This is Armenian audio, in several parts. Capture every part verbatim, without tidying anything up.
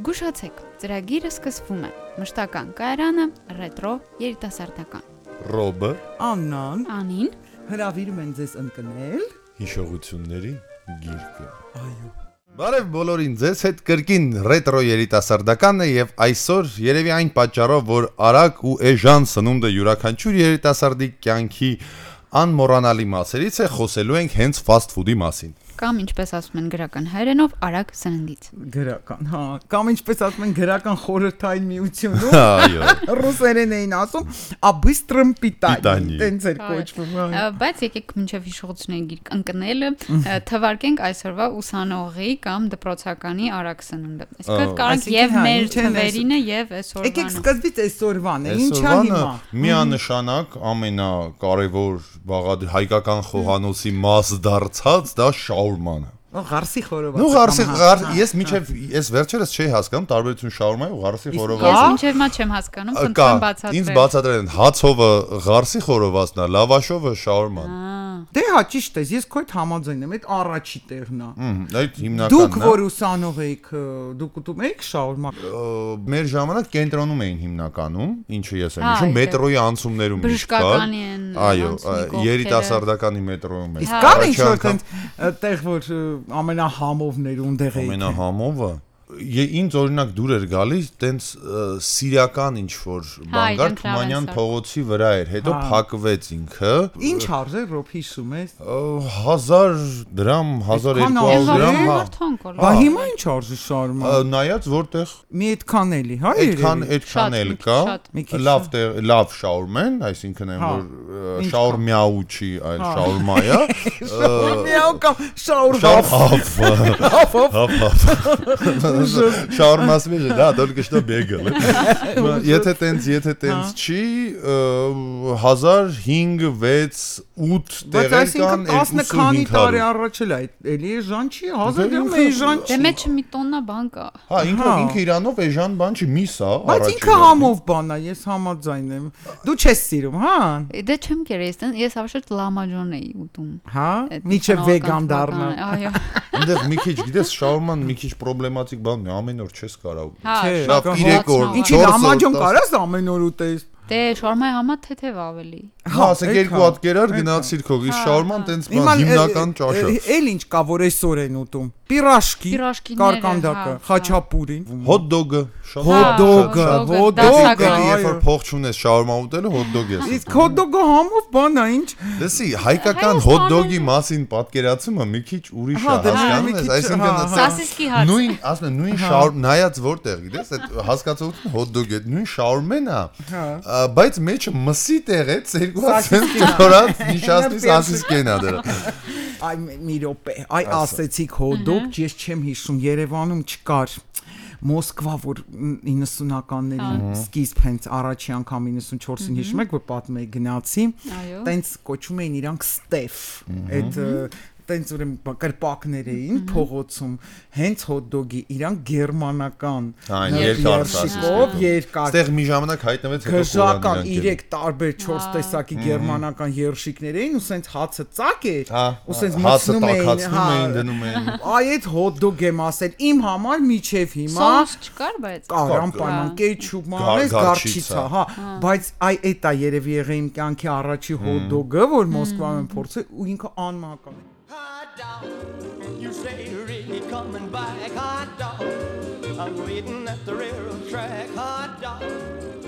Զգուշացեք, ծրագիրը սկսվում է։ Մշտական կայարանը, ռետրո, երիտասարդական։ Ռոբը, Աննան, Անին, հրավիրում են ձեզ ընկնել։ հիշողությունների գիրկը։ Այո։ Բարև բոլորին, ձեզ հետ կրկին ռետրո երիտասարդականն է եւ այսօր երևի այն պատճառով, որ արագ ու էժան սնունդը յուրաքանչյուր երիտասարդի կյանքի անմոռանալի մասերից է, խոսելու ենք հենց ֆաստ ֆուդի մասին։ Կամ ինչպես ասում են գրական հայերենով, արագ սննդից։ Գրական, հա, կամ ինչպես ասում են գրական խորհրդային միությունում։ Այո։ Ռուսերեն էին ասում, «А быстрым питанием»։ Питание։ Տենց էր կոչվում։ հա։ Բայց եկեք մինչև հիշողությունների գիրք ընկնելը թվարկենք այսօրվա ուսանողի կամ դպրոցականի արագ սնունդը։ Այսինքն կարանք եւ մեր թվերինը եւ այսօրվանը։ Եկեք սկզբից այսօրվան է, ինչա հիմա։ Միանշանակ ամենակարևոր բաղադրիչ հայկական խոհանոցի մաս դարձած դա շաուրմանը։ Ղարսի խորոված։ Նու ղարսի ղար, ես միջև ես վերջերս չի հասկանում տարբերություն շաուրմայի ու ղարսի Ես խորովածի։ մինչև մա չեմ հասկանում, խնդրեմ բացատրել։ Ինձ բացատրել են հացովը ղարսի խորովածն է, լավաշովը շաուրման։ Դե հա ճիշտ է, ես քո հետ համաձայն եմ, այդ առաջի տեղն է։ Այդ հիմնականն է։ Դուք որ ուսանող եք, դուք ուտում եք շաուրմա։ Մեր ժամանակ կենտրոնում էին հիմնականում, ինչը ես եմ հիշում, մետրոյի անցումներում բժշկականի են։ Այո, երիտասարդականի մետրոյում է։ Իսկ կար ինչ-որ տեղ, որ ամենահամովներ ունդեղ էին։ Ամենահամովը ինձ օրինակ դուր էր գալիս տենց սիրիական ինչ-որ բան կար Թումանյան փողոցի վրա էր, հետո փակվեց ինքը։ Ինչ արժե ռոբ հիշում ես։ հազար դրամ, հազար երկու հարյուր դրամ, հա։ Բա հիմա ինչ արժի շաուրմա։ Նայած որտեղ մի այդքան էլի, հա։ Այդքան այդքան էլ կա։ Լավ լավ շաուրմեն, այսինքն են որ շաուրմյաու չի, այլ շաուրմայա։ Շաուրմյաու կամ շաուրհավ։ Շաուրմասը մեջը, դա только что бегал։ Եթե տենց, եթե տենց չի, հազար հինգ, վեց, ութ տեղեր կան, տասը քանի տարի առաջ էլ այդ էլի էժան չի, հազար դրամ էժան չի։ Դե մեջը մի տոննա բան կա։ Հա, ինքը ինքը իրանով էժան բան չի, միս է, բայց ինքը համով բան է, ես համաձայն եմ։ Դու չես սիրում, հա։ Դե չեմ կերես, ես ավշետ լամաջոն էի ուտում։ Հա, միջև վեգան դառնա։ Այո։ Այնտեղ մի քիչ, գիտես, շաուրման մի քիչ պրոբլեմատիկ բան է, ամեն օր չես կարող։ Չէ, լավ երեք օր, ինչի լամաջոն կարաս ամեն օր ուտես։ Դե շաուրմայի համա թեթև ավելի։ Հա, ասեք երկու հատ կերար գնացիր քո, իսկ շաուրման տենց բան հիմնական ճաշը։ Էլ ինչ կա որ այսօր են ուտում։ Պիրաշկի, կարկանդակը, խաչապուրին, հոտ-դոգը, հոտ-դոգը, հոտ-դոգը, երբ որ փող չունես շաուրմա ուտելու հոտ-դոգ ես։ Իսկ հոտ-դոգը համով բան է, ինչ։ Լսի, հայկական հոտ-դոգի մասին պատկերացումը մի քիչ ուրիշ է, հասկանում ես, այսինքն սասիսկի հաց։ Նույն, ասում եմ, նույն շաուրմ, նայած որտեղ, գիտես, այդ հասկացողությունը հոտ-դոգ է, նույն շաուրմեն է, բայց մեջը մսի տեղից երկու հատ ծորած նիշասնի սասիսկեն է դրա։ Այ մի րոպե, այ ասեցիք հոտ-դոգ, ես չեմ հիշում, Երևանում չկար։ Մոսկվա, որ իննսունականների սկիզբ հենց առաջի անգամ իննսունչորսին հիշում եք, որ պատմեի գնացի, տենց կոչում էին իրանք Ստեֆ, այդ տենց ուրեմն կրպակներ էին փողոցում, հենց հոտ-դոգի իրանք գերմանական երկարշիկով երկար։ Ստեղ մի ժամանակ հայտնվեց հետո գժական երեք տարբեր չորս տեսակի գերմանական երշիկներ էին ու սենց հացը ծակ էր, ու սենց մտցնում էին, էին դնում էին։ Այ այդ հոտ-դոգ եմ ասել, իմ համար միջև հիմա Սոս չկար, բայց կար անպայման կեչուպ, մայոնեզ, գարչիցա, հա, բայց այ էդ է երևի եղել իմ կյանքի առաջի հոտ-դոգը, որ Մոսկվայում եմ փորձել ու ինքը անմահական է։ Hot dog, you say you're really coming back, hot dog. I'm waiting at the railroad track, hot dog.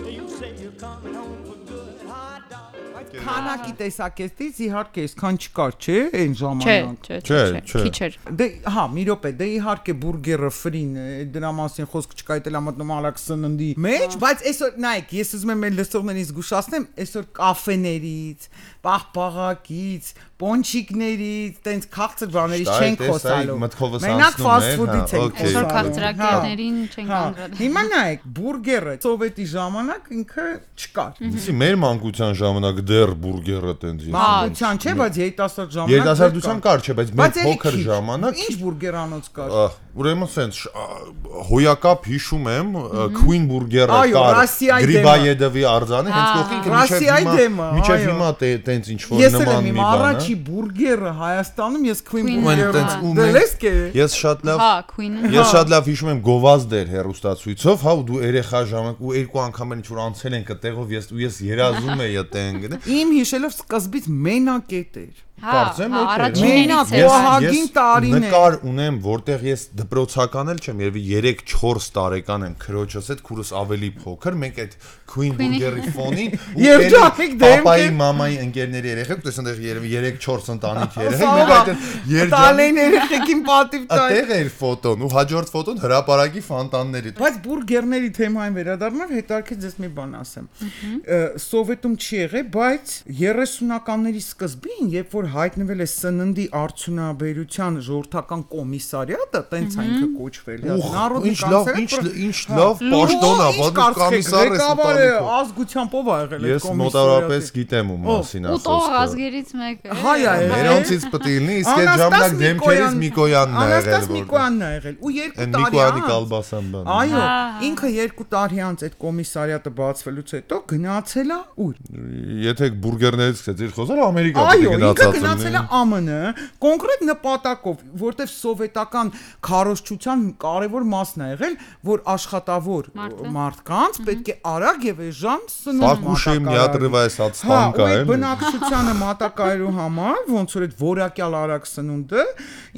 You say you're coming home for good, hot dog. Քանակի տեսակետից իհարկե այսքան չկար, չէ, այն ժամանակ։ Չէ, չէ, չէ, քիչ էր։ Դե, հա, մի րոպե, դե իհարկե բուրգերը ֆրին, դրա մասին խոսք չկա, դա մտնում արագ սննդի մեջ, բայց այսօր նայեք, ես ուզում եմ մեր լսողներին զգուշացնեմ, այսօր կաֆեներից, պաղպաղակից, պոնչիկներից, տենց քաղցր բաներից չենք խոսալու։ Մենակ ֆաստ ֆուդից ենք խոսալու։ Այսօր քաղցրակերներին չենք անդրադառնում։ Հիմա նայեք, բուրգերը սովետի ժամանակ ինքը չկար։ Իսկ մեր մանկության ժամանակ դեռ բուրգերը տենց էր։ Մանկության չէ, բայց երիտասարդ ժամանակ։ Երիտասարդության կար չէ, բայց մեր փոքր ժամանակ ինչ բուրգերանոց կար։ Ուրեմն sense հոյակապ հիշում եմ Queen Burger-ը կար Գրիբայեդովի արձանը հենց կողքին մինչև հիմա տենց ինչ որ նման մի բան է։ Առաջի բուրգերը Հայաստանում ես Queen Burger-ը։ Ես շատ լավ Ես շատ լավ հիշում եմ գովազդ էր հերոստացույցով, հա ու դու երեխա ժամանակ ու երկու անգամ ինչ որ անցել ենք այդտեղով ես ու ես երազում եի այդտեղ։ Իմ հիշելով սկզբից մենակետ էր։ Կարծեմ մենակ Վահագին տարին է։ Նկար ունեմ, որտեղ ես դպրոցական էլ չեմ, երևի երեք չորս տարեկան եմ, քրոջս հետ քուրս ավելի փոքր, մենք այդ Queen Burger-ի ֆոնին երջանիկ դեմք պապայի, մամայի ընկերների երեխեք, դες այնտեղ երևի երեք չորս ընտանիք երեխեք, մենք այդ երջանիկ տալեն երեխեքին պատիվ տալ։ Այդտեղ էր ֆոտոն ու հաջորդ ֆոտոն հրապարակի ֆոնտանների։ Բայց բուրգերների թեմային վերադառնալ հետարքից ես մի բան ասեմ։ Սովետում չի եղել, բայց երեսունականների սկզբին, երբ որ հայտնվել է սննդի արդյունաբերության ժողովրդական կոմիսարիատը, տենց այնքը կոչվել է։ Ինչ լավ, ինչ լավ պաշտոն է, բաց կոմիսարը ղեկավարը ազգությամբ ով ա եղել այդ կոմիսարիատը։ Ես մոտավորապես գիտեմ ում մասին ասած։ Ու տող ազգերից մեկը։ Հայ է։ Մերոնցից պետք է լինի, իսկ այդ ժամանակ դեմքերից Միկոյանն է եղել։ Անաստաս Միկոյանն է եղել։ Ու երկու տարի Միկոյանի Կալբասան բան։ Այո, ինքը երկու տարի անց այդ կոմիսարիատը բացվելուց հետո գնացել է ուր։ Եթե բուրգերներից սկսեցիր խոսալ, Ամերիկա գնացած գնացել է ԱՄՆ կոնկրետ նպատակով, որտեվ սովետական քարոզչության կարևոր մասն է եղել, որ աշխատավոր մարդկանց պետք է արագ եւ էժան սնունդ մատակարարել։ Բնակչությանը մատակարարելու համար, ոնց որ այդ որակյալ արագ սնունդը,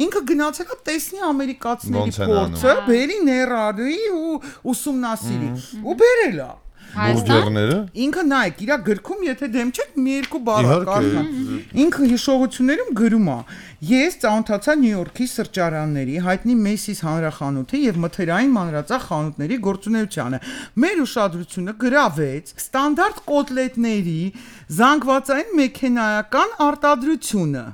ինքը գնացել է տեսնի ամերիկացիների փորձը, բերի ներառի ու ուսումնասիրի ու բերել է։ Բուրգերները ինքը նայեք, իր գրքում եթե դեմ չեք, մի երկու բառ կարդա։ Ինքը հիշողություններում գրում է. Ես ծանոթացա Նյու Յորքի սրճարանների, հայտնի Macy's հանրախանութի եւ մթերային մանրածախ խանութների գործունեությանը։ Մեր ուշադրությունը գրավեց ստանդարտ կոտլետների զանգվածային մեքենայական արտադրությունը։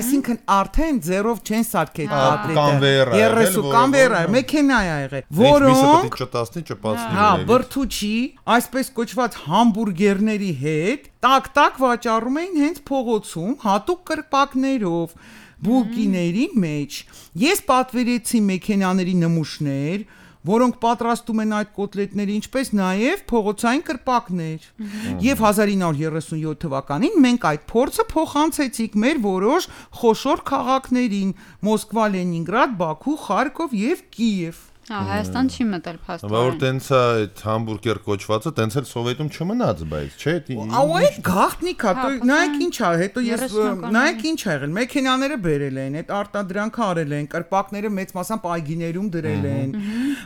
Այսինքն արդեն ձեռով չեն սարքել կոտլետը։ երեսու կանվերա, մեքենա է եղել, որոնք չտասնի չպացնի։ Հա, բրթուչի, այսպես կոչված համբուրգերների հետ տակ-տակ վաճառում էին հենց փողոցում հատուկ կրպակներով բուլկիների մեջ։ Ես պատվիրեցի մեքենաների նմուշներ, որոնք պատրաստում են այդ կոտլետները, ինչպես նաև փողոցային կրպակներ։ Եվ հազար ինը հարյուր երեսունյոթ թվականին մենք այդ փորձը փոխանցեցինք մեր որոշ խոշոր քաղաքներին՝ Մոսկվա, Լենինգրադ, Բաքու, Խարկով եւ Կիև։ Հա, Հայաստան չի մտել փաստորեն։ Բայց որ տենց է այդ համբուրգեր կոչվածը, տենց էլ Սովետում չմնաց, բայց չէ։ Ահա այդ գաղտնիք է, նայեք ինչ է, հետո ես նայեք ինչ ա եղել, մեքենաները բերել են, այդ արտադրանքը արել են, կրպակները մեծ մասամբ այգիներում դրել են։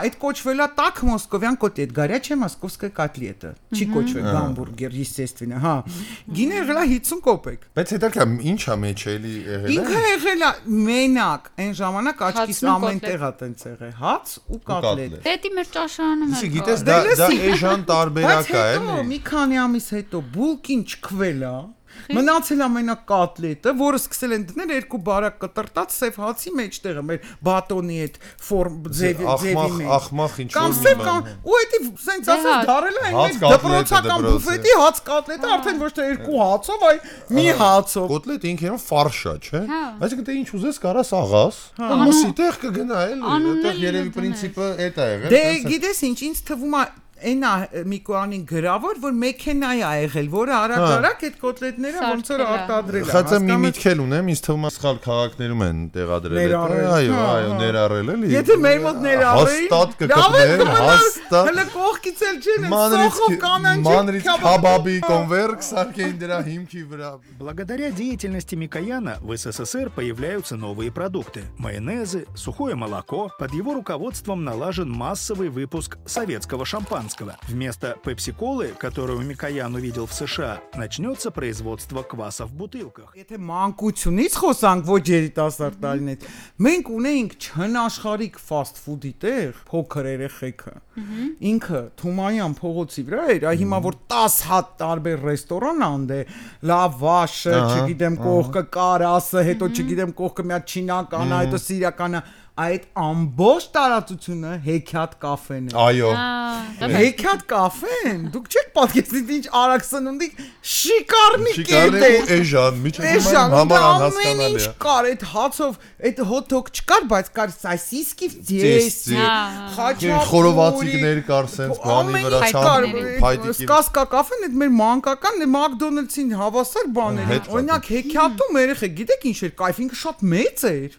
Այդ կոչվել է так մոսկովյան կոտլետ, горячая московская котлета։ Չի կոչվել համբուրգեր, естественно, հա։ Գինը եղել է հիսուն կոպեկ։ Բայց հետո ինչ է մեջ էլի եղել։ Ինքը եղել է մենակ, այն ժամանակ աչքիս ամեն տեղ է տենց եղել, հաց ու կոտլետ։ Պետի մեր ճաշարանում է։ Գիտես, դա դա էժան տարբերակ է, էլի։ Բայց մի քանի ամիս հետո բուլկին չքվել է։ Մնացել է մենակ կոտլետը, որը սկսել են դնել երկու բարակ կտրտած սև հացի մեջտեղը, մեր բատոնի այդ ֆորմ ձևի մեջ։ Ախմախ ինչ որ մի բան։ Ու էդի սենց ասած դարել է այն դպրոցական բուֆետի հաց կոտլետը, արդեն ոչ թե երկու հացով, այլ մի հացով։ Կոտլետը ինքն ֆարշ է, չէ՞։ Այսինքն դե ինչ ուզես կարաս աղաս, ամսի տեղ կգնա էլի, այդտեղ երևի պրինցիպը էդ է եղել։ Դե գիտես ինչ, ինձ թվում է Այնա Միկոյանին գրավոր, որ մեքենա է եղել, որը արագ-արագ այդ կոտլետները ոնց որ արտադրել է։ Խածը մի միտքել ունեմ, ինձ թվում է սխալ քաղաքներում են տեղադրել դա։ Այո, այո, ներառել էլի։ Եթե մեր մոտ ներառեին, հաստատ կգտներ, հաստատ։ Հələ կողքից էլ չեն, սոխով կանանջի մանրից քաբաբի կոնվերկ սարքեին դրա հիմքի վրա։ Благодаря деятельности Микояна в СССР появляются новые продукты. Майонезы, сухое молоко. Под его руководством налажен массовый выпуск советского шампанского. Вместо пепси-колы, которую Микоян увидел в США, начнется производство кваса в бутылках. Եթե մանկությունից խոսանք ոչ երիտասարդ տարիներից, մենք ունեինք չնաշխարհիկ fast food-ի տեղ, փոքր երեխեքը։ Ինքը Թումայան փողոցի վրա էր, այ հիմա որ տասը հատ տարբեր ռեստորան անդե, լավաշը, չգիտեմ կողքը կարասը, հետո չգիտեմ կողքը մի հատ չինականա, հետո սիրիականը այդ ամբողջ տարածությունը հեքիաթ կաֆեն է։ Այո։ Հեքիաթ կաֆեն։ Դուք չեք պատկերացնի ինչ արագ սնունդի շիկարնի կետ Շիկարնի է։ ու էժան, միջազգային համար անհասկանալի է։ Կար այդ հացով, այդ հոթ-դոգ չկար, բայց կար սոսիսկի ձես, խաչապուր, խորովածիկներ կար սենց բանի վրա ցան փայտիկի։ Սկասկա կաֆեն այդ մեր մանկական Մակդոնալդսին հավասար բաներ էր։ Օրինակ հեքիաթում երեխեք, գիտեք ինչ էր, կայֆ ինքը շատ մեծ էր։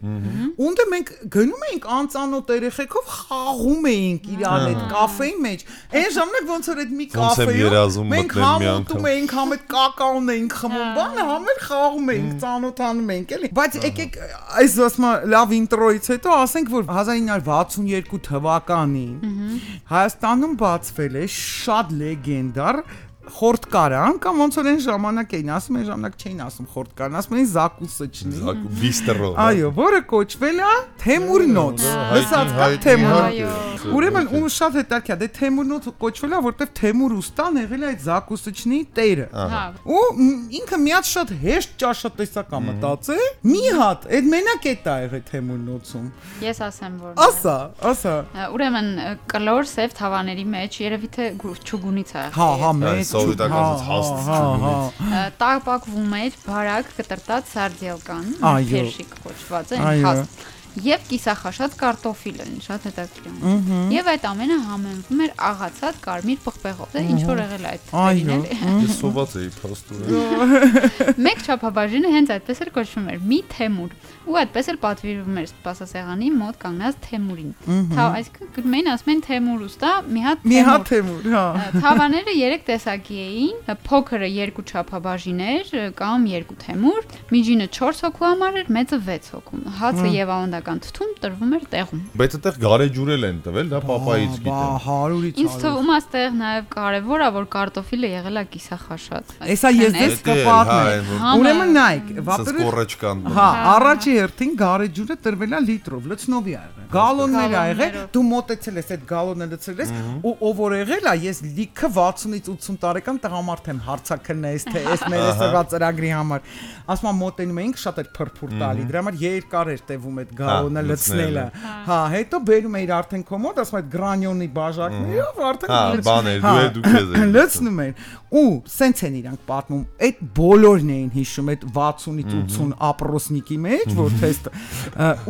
Ունդը մենք գնում էինք անծանոթ երեխեքով խաղում էինք իրար այդ կաֆեի մեջ։ Այն ժամանակ ոնց որ այդ մի կաֆեում մենք համոտում էինք, համ այդ կակաոն էինք խմում, բանը համ էլ խաղում էինք, ծանոթանում էինք, էլի։ Բայց եկեք այս ասма լավ ինտրոից հետո ասենք որ հազար ինը հարյուր վաթսունյոթ թվականին Հայաստանում բացվել է շատ լեգենդար խորտկարան կամ ոնց որ այն ժամանակ էին ասում, այն ժամանակ չէին ասում խորտկարան, ասում էին զակուսիչնի։ Բիստրո։ Այո, որը կոչվել է Թեմուրնոց։ Լսած կա Թեմուրնոց։ Ուրեմն ու շատ հետաքրքիր է, դե Թեմուրնոց կոչվել է, որտեվ Թեմուր ուստան եղել է այդ զակուսիչնի տերը։ Ու ինքը միած շատ հեշտ ճաշատեսակ է մտածել։ Մի հատ, այդ մենակ է տա եղել Թեմուրնոցում։ Ես ասեմ որ։ Ասա, ասա։ Ուրեմն կլոր սև թավաների մեջ երևի թե չուգունից է։ Հա, հա, մեծ սովետականից հաստ։ Տապակվում էր բարակ կտրտած սարդելկան, փերշիկ կոչված է, հաստ։ Եվ կիսախաշած կարտոֆիլը, շատ հետաքրքիր։ Եվ այդ ամենը համեմվում էր աղացած կարմիր պղպեղով, դա ինչ որ եղել է այդ թվերին էլի։ Ես սոված էի փաստորեն։ Մեկ չափաբաժինը հենց այդպես էր կոչվում էր՝ մի Թեմուր, ու այդպես էլ պատվիրվում էր սպասասեղանի մոտ կանգնած Թեմուրին։ Թա այսինքն գնում էին ասում են Թեմուր ուստա, մի հատ Թեմուր։ Մի հատ Թեմուր, հա։ Թավաները երեք տեսակի էին, փոքրը երկու չափաբաժին էր կամ երկու Թեմուր, միջինը չորս հոգու համար էր, մեծը վեց հոգու։ Հացը եւ ավանդական թթում տրվում էր տեղում։ Բայց այդտեղ գարեջուր էլ են տվել, դա պապայից գիտեմ։ Բա հարյուրից Ինձ թվում է այստեղ նաեւ կարեւոր է որ կարտոֆիլը եղել է կիսախաշած։ Էսա ես դες կպատմեմ։ Ուրեմն նայեք, վապերը։ Հա, առաջի հերթին գարեջուրը տրվել է լիտրով, լցնովի ա եղել։ Գալոններ ա եղել, դու մոտեցել ես այդ գալոնը լցրել ես, ու ով որ եղել է, ես լիքը վաթսունից ութսուն տարեկան տղամարդ եմ հարցակնես, թե այս մեր էսվա ծրագրի համար։ Ասում եմ մոտենում էինք շատ էր փրփուր տալի, դրա համար երկար էր տևում այդ գալոնը լցնելը։ Հա, հետո բերում էիր արդեն կոմոդ, ասում այդ գրանյոնի բաժակներով արդեն հա, բաներ, դու է դու քեզ ես։ Լցնում էին։ Ու սենց են իրանք պատմում, այդ բոլորն էին հիշում այդ վաթսունից ութսուն ապրոսնիկի մեջ, որ թեստ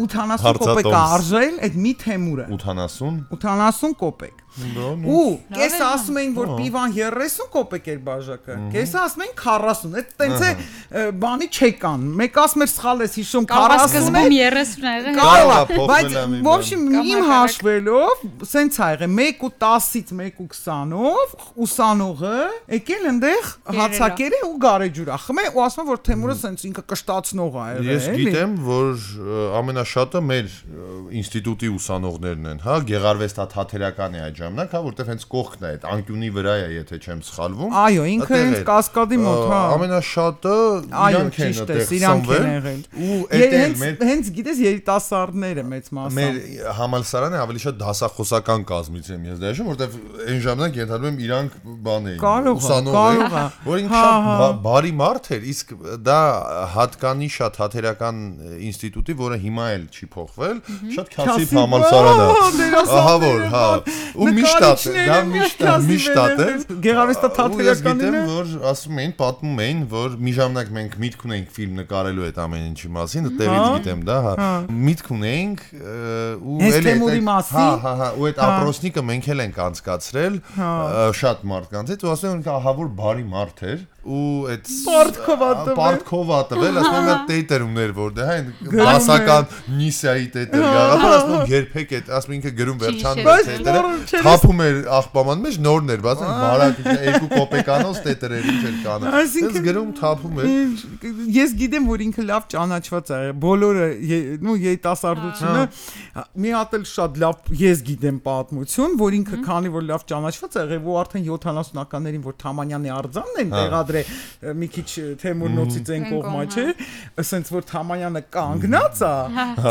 ութանասուն կոպեկ արժել այդ մի Թեմուրը։ ութանասուն ութանասուն կոպեկ։ Ու կեսը ասում էին որ պիվան երեսուն կոպեկ էր բաժակը, կեսը ասում էին քառասուն, այդ տենց է բանի չեկան, մեկ ասում էր սխալ ես հիշում քառասուն է, երեսուն է եղել, բայց в общем իմ հաշվելով սենց ա եղել մեկ ու տասից մեկ ու քսանով ուսանողը եկել այնտեղ հացակեր է ու գարեջուրա խմե ու ասում որ Թեմուրը սենց ինքը կշտացնող ա եղել։ Ես գիտեմ որ ամենաշատը մեր ինստիտուտի ուսանողներն են, հա, Գեղարվեստա թատերական է այդ ժամանակ, հա, որտեվ հենց կողքն է, այդ անկյունի վրա է, եթե չեմ սխալվում։ Այո, ինքը հենց կասկադի մոտ, հա։ Ամենաշատը իրանք են այդտեղ սնվել։ Ու այդտեղ մեր հենց գիտես երիտասարդները մեծ մասամբ։ Մեր համալսարանը ավելի շատ դասախոսական կազմից եմ ես դաշում, որտեվ այն ժամանակ ենթադրում եմ իրանք բան էին, ուսանող էին, որ ինքը շատ բարի մարդ էր, իսկ դա հատկանիշ է թատերական ինստիտուտի, որը հիմա էլ չի փոխվել, շատ քասիվ համալսարան է։ Ահա որ, հա։ Ու միշտ է, դա միշտ է, միշտ է։ Գեղարվեստա թատերականին որ ասում էին, պատմում էին, որ մի ժամանակ մենք միտք ունեինք ֆիլմ նկարելու այդ ամեն ինչի մասին, դեռից գիտեմ դա, հա։ Միտք ունեինք ու էլ այդ հա, հա, հա, ու այդ ապրոսնիկը մենք էլ ենք անցկացրել շատ մարդկանց հետ ու ասում են ահա որ բարի մարդ էր ու այդ պարտքով ա տվել, ասում եմ այդ տեյտերումներ որտեղ այն դասական նիսայի տեյտեր գաղափար ասում եմ երբեք այդ ասում ինքը գրում վերջանում տեյտերը թափում էր աղբաման մեջ նորներ բացեն բարակ երկու կոպեկանոց տեյտերեր ինչ էր կանը այս գրում թափում էր ես գիտեմ որ ինքը լավ ճանաչված է բոլորը նու երիտասարդությունը մի հատ էլ շատ լավ ես գիտեմ պատմություն որ ինքը քանի որ լավ ճանաչված է եղել ու արդեն յոթանասունականներին որ Թամանյանի արձանն են տեղադրել հարցրե մի քիչ Թեմուրնոցից այն կողմա չէ ասենց որ Թամանյանը կանգնած է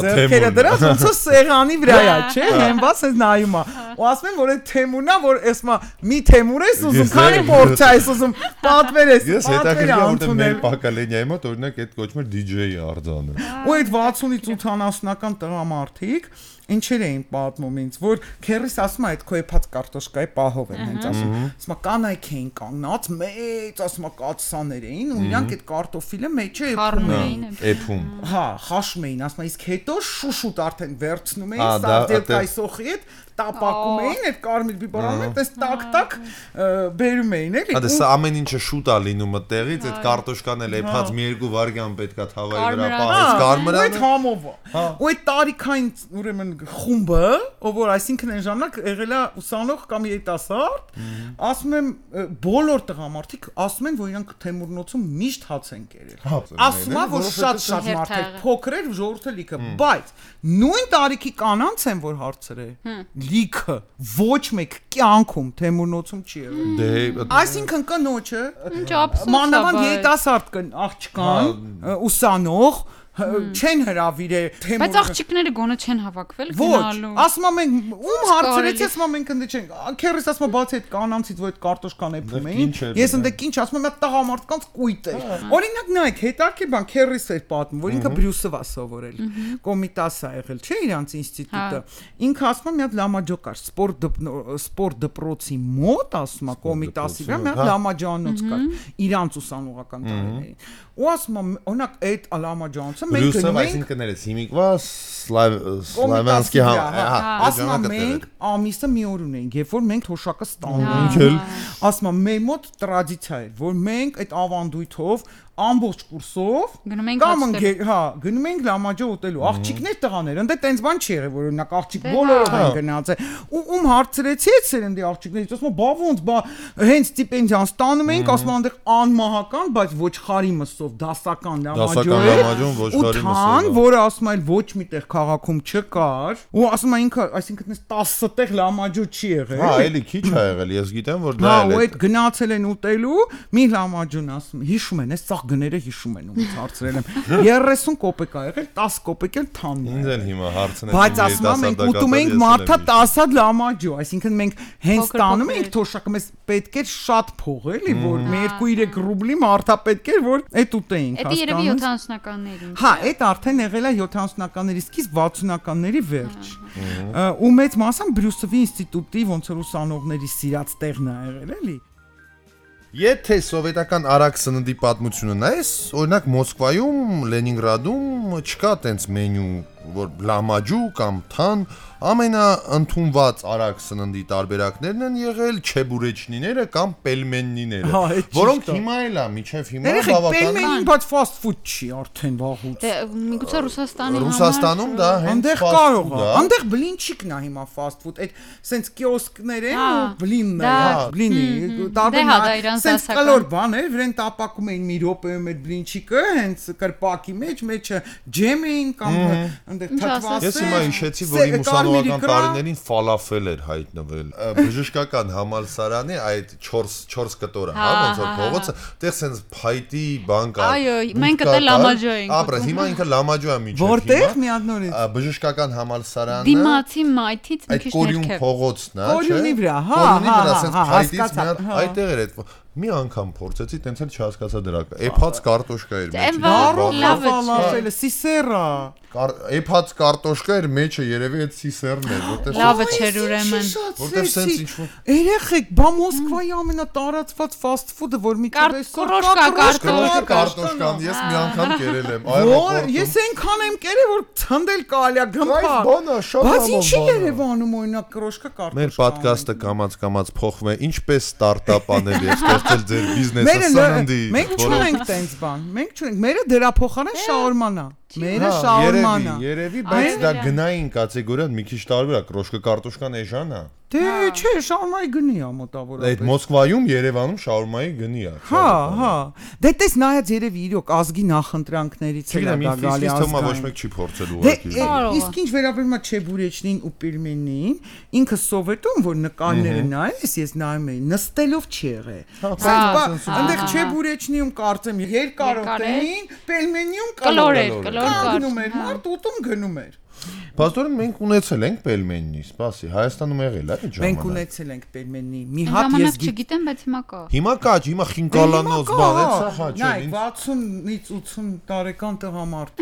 ձեռքերը դրած ոնց է սեղանի վրա է չէ հենված է նայում է ու ասում են որ այդ Թեմուրն է որ ասма մի Թեմուր ես ուզում քանի փորձ ես ուզում պատվեր ես ես հետաքրքիր որ մեր Պակալենյայի մոտ օրինակ այդ կոչում էր դիջեյ արձանը ու այդ վաթսունից ութանասունական տղամարդիկ ինչեր էին պատմում ինձ որ քերիս ասում է այդ քո եփած կարտոշկայի պահով են հենց ասում ասում կանայք էին կանգնած մեծ ասում կացսաներ էին ու իրանք այդ կարտոֆիլը մեջը էփում էին էփում հա խաշում էին ասում իսկ հետո շուշուտ արդեն վերցնում էին սարդելկայի սոխի հետ տապակում էին այդ կարմիր բիբարանը այդպես տակ-տակ բերում էին էլի։ Հա սա ամեն ինչը շուտ է լինում այդտեղից, այդ կարտոշկան էլ էփած մի երկու վայրկյան պետքա թավայի վրա պահես կարմրանը։ Այդ համով է։ Ու այդ տարիքային ուրեմն խումբը, ով որ այսինքն այն ժամանակ եղել է ուսանող կամ երիտասարդ, ասում եմ բոլոր տղամարդիկ ասում են որ իրանք Թեմուրնոցում միշտ հաց են կերել։ Ասում է որ շատ-շատ մարդիկ փոքր էր ժողովուրդը լիքը, բայց նույն տարիքի կանանց են որ հարցրել լիքը ոչ մեկ կյանքում Թեմուրնոցում չի եղել։ Դե այսինքն կնոջը մանավանդ երիտասարդ կն աղջկան ուսանող չեն հրավիրել Թեմուրը։ Բայց աղջիկները գոնե չեն հավաքվել գնալու։ Ասում եմ ում հարցրեցի, ասում եմ մենք ընդ չենք։ Քերս ասում է բացի այդ կանանցից որ այդ կարտոշկան էփում էին։ Ես ընդ ինչ ասում եմ, այդ տղամարդկանց կույտ է։ Օրինակ նայեք, հետարքի բան քերս էր պատմում, որ ինքը Բրյուսովա սովորել։ Կոմիտաս է եղել, չէ՞ իրանց ինստիտուտը։ Ինքը ասում է մի հատ լամաջո կար, սպորտ սպորտ դպրոցի մոտ, ասում է Կոմիտասի վրա մի հատ լամաջանոց կար, իրանց ուսանողական տարիներին։ Ու ասում եմ, օրինակ այդ լամաջանոցը մենք գնում ենք այսինքն ներես հիմիկվա Սլավյանսկի հա ասում եմ մենք ամիսը մի օր ունենք երբ որ մենք թոշակը ստանում ենք ասում եմ մեր մոտ տրադիցիա է որ մենք այդ ավանդույթով ամբողջ կուրսով գնում ենք կամ հա գնում ենք լամաջո ուտելու աղջիկներ տղաներ ընդ տենց բան չի եղել որ օրինակ աղջիկ բոլորով են գնացել ու ում հարցրեցի այդ սերնդի աղջիկներից ասում բա ոնց բա հենց ստիպենդիան ստանում ենք ասում այնտեղ անմահական բայց ոչխարի մսով դասական լամաջո ու թան որը ասում այլ ոչ միտեղ քաղաքում չկար ու ասում է ինքը այսինքն այս տասը տեղ լամաջո չի եղել հա էլի քիչ է եղել ես գիտեմ որ դա է հա ու այդ գնացել են ուտելու մի լամաջոն ասում հիշում են այս գները հիշում են ումից հարցրել եմ երեսուն կոպեկ ա եղել տասը կոպեկ էլ թանն ինձ էլ հիմա հարցնեցին բայց ասում եմ մենք ուտում ենք մարդա տասը հատ լամաջո այսինքն մենք հենց տանում ենք թոշակը մեզ պետք էր շատ փող էլի որ մի երկու երեք ռուբլի մարդա պետք էր որ այդ ուտեինք հասկանում դա երևի յոթանասունականներին հա այդ արդեն եղել է յոթանասունականների սկիզբ վաթսունականների վերջ ու մեծ մասամբ Բրյուսովի ինստիտուտի ոնց որ ուսանողների սիրած տեղն է եղել էլի Եթե սովետական արագ սննդի պատմությունը նայես, օրինակ Մոսկվայում, Լենինգրադում չկա տենց մենյու, որ լամաջու կամ թան, ամենաընդունված արագ սննդի տարբերակներն են եղել չեբուրեչնիները կամ պելմեննիները, որոնք հիմա էլ է, միջև հիմա բավական պելմենին, բայց fast food չի արդեն վաղուց։ Դե միգուցե Ռուսաստանի Ռուսաստանում դա հենց կարող է։ Այնտեղ բլինչիկն է հիմա fast food, այդ սենց կիոսկներ են ու բլինն է, բլինի, տարբեր սենց կալոր բան է, վրան տապակում էին մի րոպեում այդ բլինչիկը, հենց կրպակի մեջ, մեջը ջեմ էին կամ այնտեղ թթվասեր։ Ես հիմա հիշեցի, որ իմ ուսանողական տարիներին ֆալաֆել էր հայտնվել։ Բժշկական համալսարանի այդ չորս կտորը, հա, ոնց որ փողոցը, այդտեղ սենց փայտի բան կա։ Այո, մենք դա լամաջո ենք։ Ապրես, հիմա ինքը լամաջո է միջև։ Որտեղ մի հատ նորից։ Բժշկական համալսարանը։ Դիմացի մայթից մի քիչ ներքև։ Այդ կորյուն փողոցն է, չէ։ Կորյունի վրա, հա, կորյունի վրա սենց փայտից մի հատ այդտեղ էր այդ մի անգամ փորձեցի, տենց էլ չհասկացա դրա։ Էփած կարտոշկա էր մեջը։ Ֆալաֆելը, սիսերա։ Էփած կարտոշկա էր մեջը, երևի այդ սիսերն էր, որտեղ լավը չէր ուրեմն։ Որտեղ սենց ինչ-որ երեխեք, բա Մոսկվայի ամենատարածված fast food-ը, որ մի քիչ կրոշկա կարտոշկան, ես մի անգամ կերել եմ այերոպորտում։ Ես այնքան եմ կերել, որ ցնդել կարելի է գմփա։ Բայց ինչի Երևանում օրինակ կրոշկա կարտոշկա։ Մեր ոդկասթը կամած-կամած փոխվում է, ինչպես ստարտափ անել եւ ստեղծել ձեր բիզնեսը սննդի։ Մենք չունենք տենց բան։ Մենք չունենք։ Մերը դրա փոխարեն շաուրման է։ Մերը շաուրման է։ Երևի, բայց դա գնային կատեգորիան մի քիչ տարբեր է, կրոշկը կարտոշկան էժան է։ Դե չէ, շաուրմայի գնի է մոտավորապես։ Այդ Մոսկվայում, Երևանում շաուրմայի գնի է։ Հա, հա։ Դե տես նայած երևի իրոք ազգի նախընտրանքներից է դա գալի ազգային։ Ոչ մեկ չի փորձել ուղղակի։ Իսկ ինչ վերաբերում է չեբուրեչնին ու պելմենին, ինքը սովետում որ նկարները նայես, ես նայում էի, նստելով չի եղել։ Բայց այնտեղ չեբուրեչնիում կարծեմ երկարոտեին, պելմենիում կլոր էր, կլոր գնում էր, մարդ ուտում գնում էր։ Պաստորը մենք ունեցել ենք պելմեննի, սպասի, Հայաստանում եղել է այդ ժամանակ։ Մենք ունեցել ենք պելմեննի։ Մի հատ ես չգիտեմ, բայց հիմա կա։ Հիմա կա, հիմա խինկալանոց բան է, սա հա չէ։ Նայ, վաթսունից ութսուն տարեկան տղամարդ։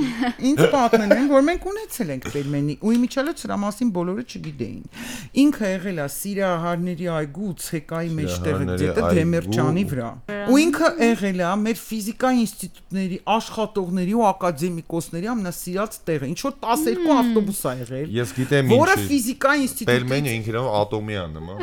Ինչ պատմեն են, որ մենք ունեցել ենք պելմեննի, ու իմիջիալը սրա մասին բոլորը չգիտեին։ Ինքը եղել է Սիրահարների այգու ցեկայի մեջտեղը, դեպի Դեմերճանի վրա։ Ու ինքը եղել է մեր ֆիզիկայի ինստիտուտների աշխատողների ու ակադեմիկոսների ամենասիրած տեղը, ինչ որ տասներկու ավտոբուս ա եղել։ Ես գիտեմ ինչ։ Որը ֆիզիկայի ինստիտուտի Պելմենը ինքն իրավ ատոմյան նման։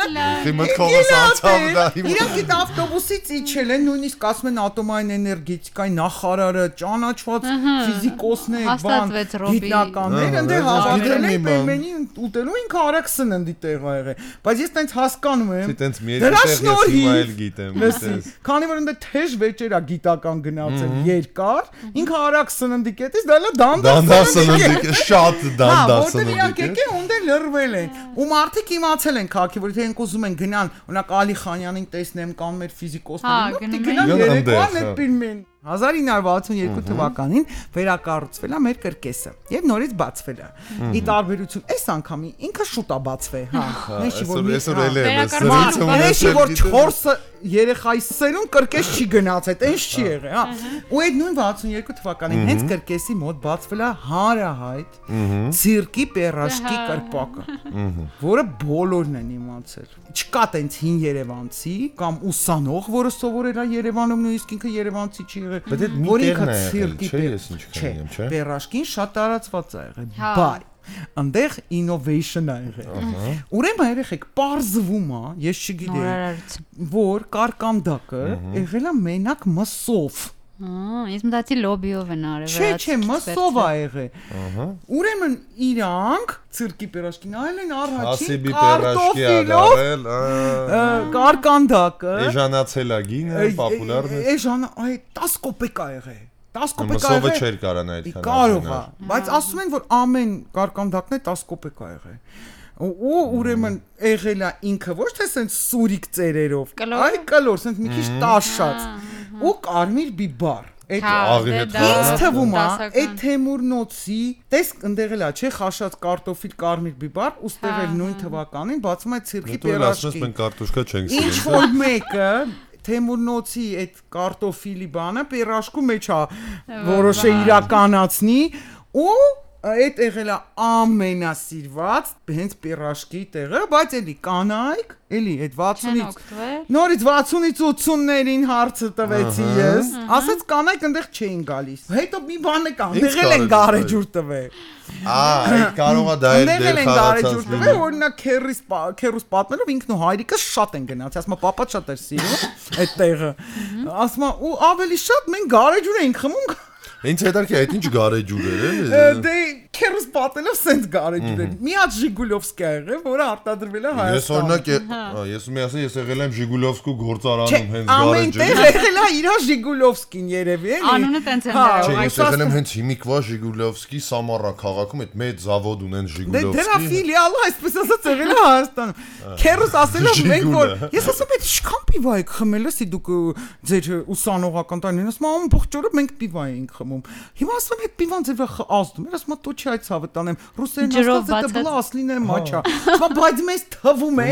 Հիմա քողս անցավ դա։ Իրանք այդ ավտոբուսից իջել են, նույնիսկ ասում են ատոմային էներգետիկայի նախարարը, ճանաչված ֆիզիկոսներ, բան, գիտնականներ, ընդ հավաքել են Պելմենի ուտելու ինքը արագ սննդի տեղ ա եղել։ Բայց ես տենց հասկանում եմ։ Դենց մի երկու տեղ ես հիմա էլ գիտեմ։ Քանի որ ընդ թեժ վեճեր ա գիտական գնացել երկար, ինքը արագ սննդի կետից դա լա դանդաղ սննդի, շատ դանդաղ սննդի։ Որտեղ իրանք եկել ունդը լրվել են։ Ու մարդիկ իմացել են քաղաքի, որ եթե ենք ուզում են գնան, օրինակ Ալի Խանյանին տեսնեմ կամ մեր ֆիզիկոսներին, գնան երեկոյան այդ ֆիլմին։ հազար ինը հարյուր վաթսունյոթ թվականին վերակառուցվել է մեր կրկեսը եւ նորից բացվել է։ Ի տարբերություն այս անգամի ինքը շուտ է բացվել, հա։ Մեջի որ մեջի որ չորսը երեխայի սերուն կրկես չի գնացել, այնց չի եղել, հա։ Ու այդ նույն վաթսունյոթ թվականին հենց կրկեսի մոտ բացվել է հանրահայտ ցիրկի պերաշկի կրպակը, որը բոլորն են իմացել։ Չկա տենց հին երևանցի կամ ուսանող, որը սովորել է Երևանում, նույնիսկ ինքը երևանցի չի եղել։ Բայց այդ մի տեղն է եղել, չէ՞, ես ինչ քննեմ, չէ՞։ Պերաշկին շատ տարածված է եղել, բայ այնտեղ innovation ա եղել։ Ուրեմն երեխեք, պարզվում է, ես չգիտեմ, որ կարկանդակը եղել է մենակ մսով։ Ահա, ես մտածի լոբիով են արել։ Չէ, չէ, մսով ա եղել։ Ահա։ Ուրեմն իրանք ցիրկի պերաշկին այլ են առաջին կարտոֆիլով կարկանդակը։ Էժանացել է գինը, պոպուլարն է։ Էժան, այ դես կոպեկ ա եղել։ դես կոպեկ ա եղել։ Մսովը չէր կարան այդքան։ Կարող է, բայց ասում են, որ ամեն կարկանդակն է դես կոպեկ ա եղել։ Ու ուրեմն եղել է ինքը ոչ թե սենց սուրիկ ծերերով, այ կլոր, սենց մի քիչ տաշած ու կարմիր բիբար։ Այդ ինձ թվում է, այդ Թեմուրնոցի, տեսք ընդեղել է, չէ, խաշած կարտոֆիլ կարմիր բիբար, ուստեղ էլ նույն թվականին բացում է ցիրկի պերաշկի։ Մենք կարտոշկա չենք սիրում։ Ինչ որ մեկը Թեմուրնոցի այդ կարտոֆիլի բանը պերաշկու մեջ է որոշը իրականացնի ու այդ եղել է ամենասիրված հենց պերաշկի տեղը, բայց էլի կանայք, էլի այդ վաթսունից նորից վաթսունից ութսուններին հարցը տվեցի ես, ասեց կանայք այնտեղ չէին գալիս։ Հետո մի բան է կան, դեղել են գարեջուր տվել։ Ահա, այդ կարող է դա էլ դեր խաղացած լինի։ Օրինակ քերիս քերուս պատմելով ինքն ու հայրիկը շատ են գնացել, ասում է պապա շատ էր սիրում այդ տեղը։ Ասում է ու ավելի շատ մենք գարեջուր էինք խմում։ Ինչ հետարքի այդ ինչ գարեջուր էր։ Դե քերուս պատելով սենց գարեջուր էր։ Մի հատ Ժիգուլովսկա եղել, որը արտադրվել է Հայաստանում։ Ես օրինակ ես մի ասեմ, ես եղել եմ Ժիգուլովսկու գործարանում հենց գարեջուրը։ Ամեն տեղ եղել է իր Ժիգուլովսկին երևի, էլի։ Անունը տենց են դրել։ Չէ, ես եղել եմ հենց հիմիկվա Ժիգուլովսկի Սամարա քաղաքում, այդ մեծ զավոդ ունեն Ժիգուլովսկի։ Դե դրա ֆիլիալը այսպես ասած եղել է Հայաստանում։ Քերուս ասելով մենք որ ես ասում եմ ինչքան պիվա եք խմել, էսի դուք ձեր ուսանողական տանին, ասում եմ ամբողջ օրը մենք պիվա ենք խմում։ Հիմա ասում եմ այդ պիվան ձեր վրա ազդում, ես ասում եմ դու չի այդ ցավը տանեմ, ռուսերեն ասած դա բլա ասլին է մաչա։ Ասում բայց մեզ թվում է,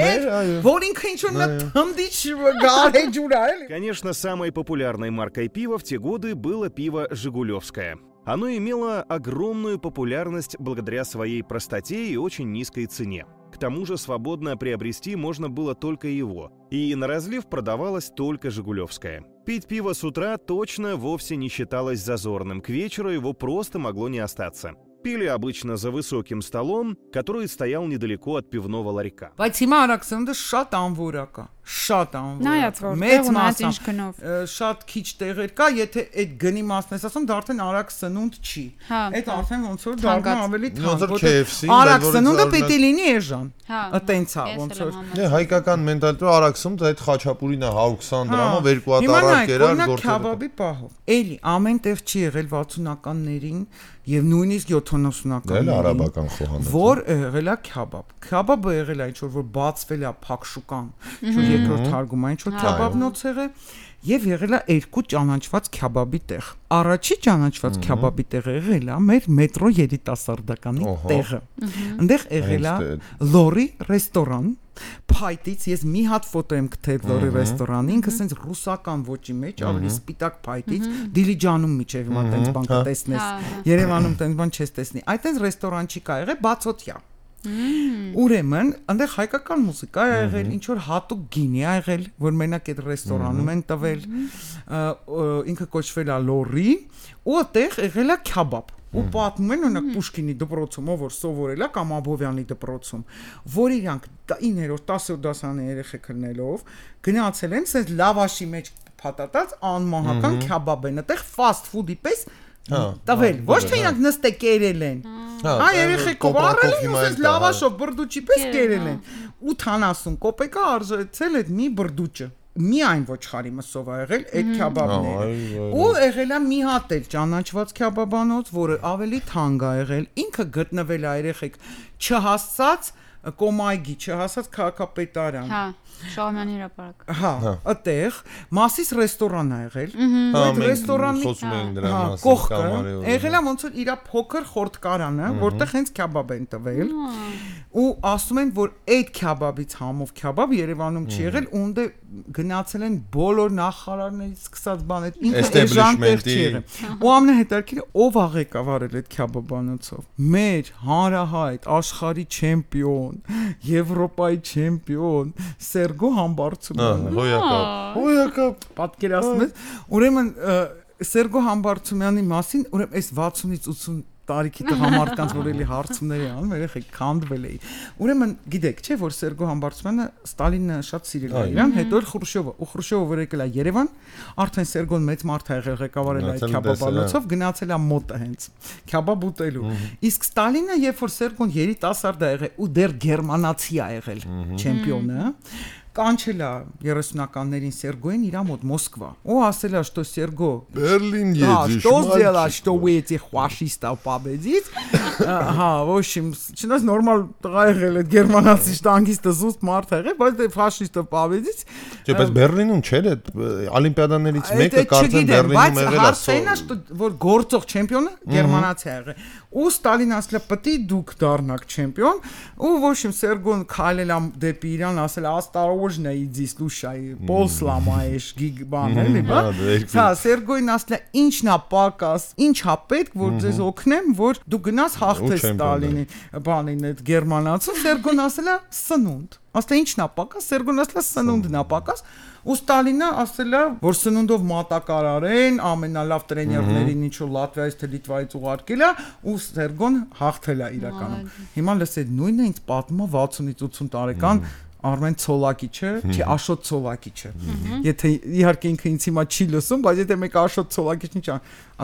որ ինքը ինչ որ նա թմդիչ գարեջուր է, էլի։ Конечно, самой популярной маркой пива в те годы было пиво «Жигулевское». Оно имело огромную популярность благодаря своей простоте и очень низкой цене. К тому же свободно приобрести можно было только его, и на разлив продавалось только «Жигулевское». Пить пиво с утра точно вовсе не считалось зазорным, к вечеру его просто могло не остаться. Пили обычно за высоким столом, который стоял недалеко от пивного ларька. Բայց հիմա Արաքսենդը շատ անվորակ է, շատ անվորը։ Նայած որ մեծ մասամբ շատ քիչ տեղեր կա, եթե այդ գնի մասն ես ասում, դա արդեն արագ սնունդ չի։ Այդ արդեն ոնց որ դառնում ավելի թանկ, որտեղ արագ սնունդը պետք է լինի էժան։ Այտենց է ոնց որ։ Դե հայկական մենտալիտետը արագ սնունդ այդ խաչապուրին է one hundred twenty դրամով երկու հատ արագ կերար գործել։ Քաբաբի պահով։ Էլի ամեն տեղ չի եղել վաթսունականներին եւ նույնիսկ յոթանասունականներին։ Դա արաբական խոհանոց։ Որ եղել է քաբաբ։ Քաբաբը եղել է ինչ որ բացվել է փակշուկան, ինչ երկրորդ թարգումը, ինչ որ քաբաբնոց եղել եւ եղել է երկու ճանաչված քաբաբի տեղ։ Առաջի ճանաչված քաբաբի տեղը եղել է մեր մետրո երիտասարդականի տեղը։ Այնտեղ եղել է Լորի ռեստորան։ Փայտից ես մի հատ ֆոտո եմ գտել Լորի ռեստորանի, ինքը sense ռուսական ոճի մեջ, ավելի սպիտակ փայտից, Դիլիջանում միջև հիմա տենց բան կտեսնես, Երևանում տենց բան չես տեսնի։ Այդտենց ռեստորան չի կա եղել բացօթյա։ Ուրեմն, այնտեղ հայկական մուզիկա ա եղել, ինչ որ հատուկ գինի ա եղել, որ մենակ այդ ռեստորանում են տվել, ինքը կոչվել է Լորի, ու այդտեղ եղել է քաբաբ։ Ու պատմում են օրինակ Պուշկինի դպրոցում, ով որ սովորել է կամ Աբովյանի դպրոցում, որ իրանք իններորդ տասերորդ դասարանի երեխեք լինելով գնացել են, ասես լավաշի մեջ փաթաթած անմահական քաբաբ են, այդտեղ fast food-ի պես տվել, ոչ թե իրանք նստե կերել են։ Հա, երեխեք վառել են, ասես լավաշով բրդուճի պես կերել են։ ութանասուն կոպեկա արժեցել այդ մի բրդուճը։ Միայն ոչխարի մսով ա եղել այդ քաբաբները։ Ու եղել է մի հատ էլ ճանաչված քաբաբանոց, որը ավելի թանկ ա եղել, ինքը գտնվել է երեխեք չհասած Կոմայգի, չհասած քաղաքապետարան։ Հա, Շահումյանի հրապարակ։ Հա, այդտեղ Մասիս ռեստորան ա եղել։ Այդ ռեստորանի խոսում են դրա մասին կողքը եղել է ոնց որ իր փոքր խորտկարանը, որտեղ հենց քաբաբ են տվել։ Ու ասում են, որ այդ քաբաբից համով քաբաբ Երևանում չի եղել, ունդ գնացել են բոլոր նախարարներից սկսած բաներ, ինքը էժան տեղ չի եղել։ Ու ամենահետաքրքիրը ով ա ղեկավարել այդ քաբաբանոցով։ Մեր հանրահայտ աշխարհի չեմպիոն, Եվրոպայի չեմպիոն Սերգո Համբարձումյանը։ Հոյակապ։ Հոյակապ պատկերացնում ես։ Ուրեմն Սերգո Համբարձումյանի մասին, ուրեմն այս վաթսունից ութսուն տարիքի տղամարդկանց որ էլի հարցումներ են անում, երեխեք քանդվել էի։ Ուրեմն գիտեք, չէ՞ որ Սերգո Համբարձումյանը Ստալինը շատ սիրել է իրան, հետո էլ Խրուշչովը, ու Խրուշչովը որ եկել է Երևան, արդեն Սերգոն մեծ մարդ ա եղել, ղեկավարել այդ քաբաբանոցով, գնացել է մոտը հենց քաբաբ ուտելու։ Իսկ Ստալինը, երբ որ Սերգոն երիտասարդ ա եղել ու դեռ գերմանացի ա եղել, չեմպիոնը, կանչել է երեսունականներին Սերգոին իր մոտ Մոսկվա։ Ու ասել է, что Սերգո Բերլին едешь, что сделала, что вы этих фашистов победить? Հա, ոչ իմ, չնայած նորմալ տղա եղել է գերմանացի շտանգիստը զուստ մարդ եղել, բայց դե ֆաշիստը победить։ Չէ, բայց Բերլինում չէր այդ օլիմպիադաներից մեկը կարծեմ Բերլինում եղել է։ Բայց հարցն է, որ գործող չեմպիոնը գերմանացի ա եղել։ Ու Ստալին ասել է, «Պետք է դուք դառնաք չեմպիոն», ու ոչ իմ Սերգոն քայլել է դեպի իրան, ասել է, «Осторожно иди, слушай, пол сломаешь, гиг բան էլի, բա»։ Հա, Սերգոին ասել է, «Ինչն է պակաս, ինչ է պետք, որ ձեզ օգնեմ, որ դու գնաս հաղթես Ստալինին, բանին այդ գերմանացու»։ Սերգոն ասել է, «Սնունդ»։ Ասել է, «Ինչն է պակաս»։ Սերգոն ասել է, «Սնունդն է պակաս»։ Ու Ստալինը ասել է, որ սնունդով մատակարարեն, ամենալավ տրեներներին ինչ որ Լատվիայից թե Լիտվայից ուղարկել է, ու Սերգոն հաղթել է իրականում։ Հիմա լսեք, նույնը ինձ պատմում է վաթսունից ութսուն տարեկան Արմեն Ցոլակիչը, չի Աշոտ Ցոլակիչը։ Եթե իհարկե ինքը ինձ հիմա չի լսում, բայց եթե մեկ Աշոտ Ցոլակիչն ինչ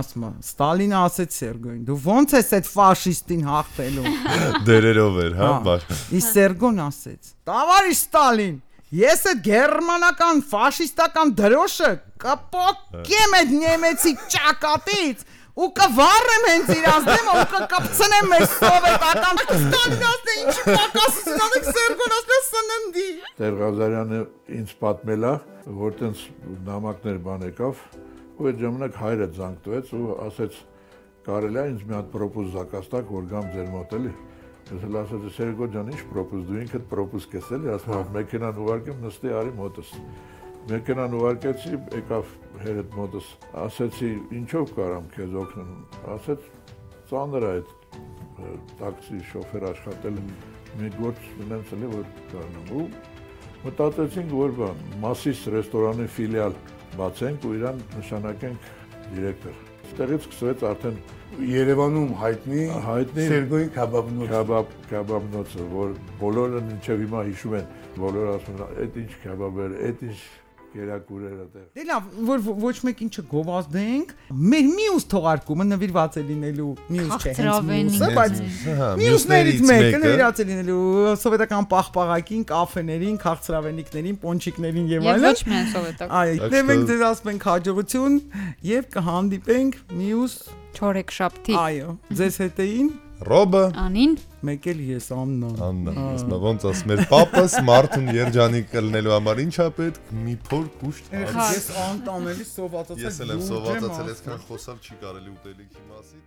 ասում է, Ստալինը ասեց Սերգոին, դու ո՞նց ես այդ ֆաշիստին հաղթելու։ Դերերով էր, հա, բար։ Իսկ Սերգոն ասեց. «Տավարիշ Ստալին, ես այդ գերմանական ֆաշիստական դրոշը կպոկեմ այդ նեմեցի ճակատից ու կվառեմ հենց իրանց դեմը ու կկապցնեմ մեր սովետական Ստալինասը ինչի պակասություն անեք Սերգոն ասել սննդի»։ Տեր Ղազարյանը ինձ պատմել է, որ տենց նամակներ բան եկավ, ու այդ ժամանակ հայրը զանգ տվեց ու ասեց կարելի է ինձ մի հատ պրոպոզ զակաց տաք, որ գամ ձեր մոտ էլի։ Ես էլ ասացի Սերգո ջան, ինչ պրոպոզ, դու ինքդ պրոպոզ կես էլի, ասում եմ մեքենան ուղարկեմ, նստի արի մոտս։ Մեքենան ուղարկեցի, եկավ հերդ մոտս, ասեցի ինչով կարամ քեզ օգնեմ, ասեց ծանր է այդ տաքսի շոֆեր աշխատել, մի գործ ունենց էլի որ կարնամ ու մտածեցինք որ բան Մասիս ռեստորանի ֆիլիալ բացենք ու իրան նշանակենք դիրեկտոր։ այստեղից սկսվեց արդեն Երևանում հայտնի հայտնի Սերգոյի քաբաբնոց քաբաբ քաբաբնոցը, որ բոլորը մինչև հիմա հիշում են, բոլորը ասում են, այդ ինչ քաբաբ էր, այդ ինչ կերակուրեր այդտեղ։ Դե լավ, որ ոչ մեկին չգովազդենք, մեր մյուս թողարկումը նվիրված է լինելու մյուս չէ, հենց մյուսը, բայց մյուսներից մեկը նվիրված է լինելու սովետական պաղպաղակին, կաֆեներին, քաղցրավենիքներին, պոնչիկներին եւ այլն։ Եվ ոչ միայն սովետական։ Այո, դե մենք ձեզ ասում ենք հաջողություն եւ կհանդիպենք մյուս չորեքշաբթի։ Այո, ձեզ հետ էին Ռոբը Անին մեկ էլ ես Աննա։ Աննա, ասма ոնց ասում էր պապս Մարտուն երջանիկ կլնելու համար ինչա պետք մի փոր կուշտ։ Ես անտանելի սովածացել։ Ես էլ եմ սովածացել, այսքան խոսալ չի կարելի ուտելիքի մասին։